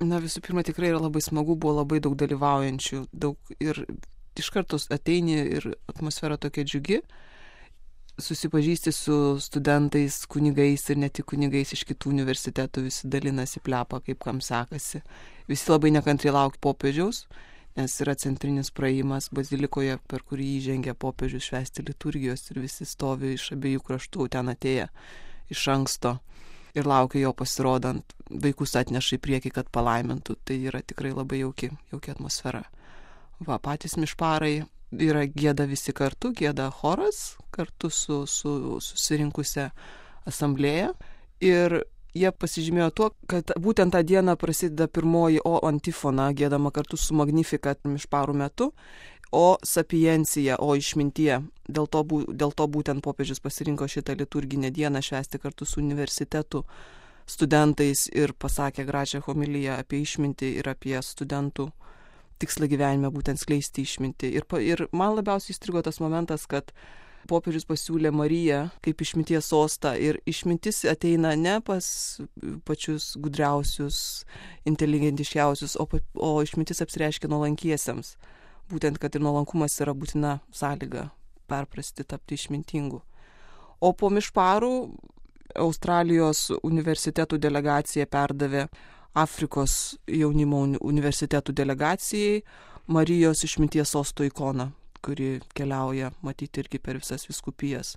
Na, visų pirma, tikrai yra labai smagu, buvo labai daug dalyvaujančių, daug ir iš karto ateini ir atmosfera tokia džiugi, susipažįsti su studentais, kunigais ir ne tik kunigais iš kitų universitetų, visi dalinasi plepa, kaip kam sekasi. Visi labai nekantriai laukia popiežiaus, nes yra centrinis praėjimas bazilikoje, per kurį įžengia popiežius švęsti liturgijos ir visi stovi iš abiejų kraštų ten atėję iš anksto. Ir laukia jo pasirodant, vaikus atneša į priekį, kad palaimintų. Tai yra tikrai labai jauki atmosfera. Va, patys mišparai yra gėda visi kartu, gėda choras kartu su susirinkusia asamblėja. Ir jie pasižymėjo tuo, kad būtent tą dieną prasideda pirmoji O antifona, gėdama kartu su Magnificat mišparų metu, O sapiencija, O išmintie. Dėl to būtent popiežius pasirinko šitą liturginę dieną švęsti kartu su universitetų studentais ir pasakė gražią homiliją apie išmintį ir apie studentų tikslą gyvenime, būtent skleisti išmintį. Ir man labiausiai įstrigo tas momentas, kad popiežius pasiūlė Mariją kaip išminties sostą ir išmintis ateina ne pas pačius gudriausius, inteligentiškiausius, o išmintis apsireiškia nuolankiesiems. Būtent, kad ir nuolankumas yra būtina sąlyga perprasti, tapti išmintingu. O po mišparų Australijos universitetų delegacija perdavė Afrikos jaunimo universitetų delegacijai Marijos išminties sosto ikoną, kuri keliauja matyti irgi per visas vyskupijas.